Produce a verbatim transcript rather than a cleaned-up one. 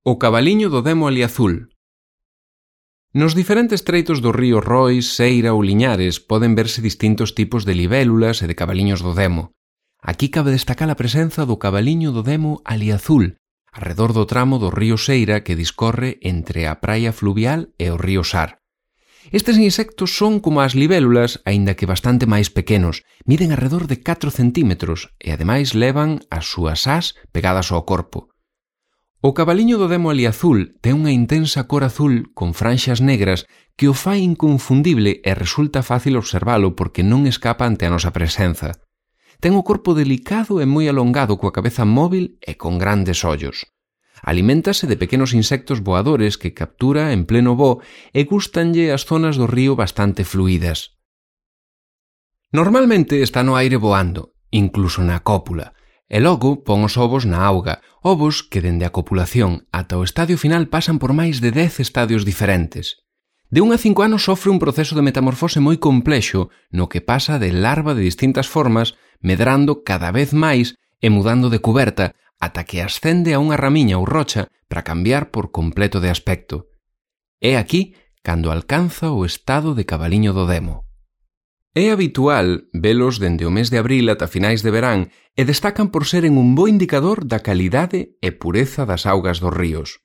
O cabaliño do demo aliazul. Nos diferentes treitos do río Rois, Seira ou Liñares poden verse distintos tipos de libélulas e de cabaliños do demo. Aquí cabe destacar a presenza do cabaliño do demo aliazul, arredor do tramo do río Seira que discorre entre a praia fluvial e o río Sar. Estes insectos son como as libélulas, aínda que bastante máis pequenos, miden arredor de catro centímetros e ademais levan as súas ás pegadas ao corpo. O cabaliño do demo aliazul ten unha intensa cor azul con franxas negras que o fai inconfundible e resulta fácil observalo porque non escapa ante a nosa presenza. Ten o corpo delicado e moi alongado coa cabeza móvil e con grandes ollos. Aliméntase de pequenos insectos voadores que captura en pleno voo e gústanlle as zonas do río bastante fluídas. Normalmente está no aire voando, incluso na cópula, e logo pon os ovos na auga, ovos que dende a copulación ata o estadio final pasan por máis de dez estadios diferentes. De un a cinco anos sofre un proceso de metamorfose moi complexo no que pasa de larva de distintas formas, medrando cada vez máis e mudando de cuberta ata que ascende a unha ramiña ou rocha para cambiar por completo de aspecto. É aquí cando alcanza o estado de cabaliño do demo. É habitual velos dende o mes de abril ata finais de verán e destacan por seren un bo indicador da calidade e pureza das augas dos ríos.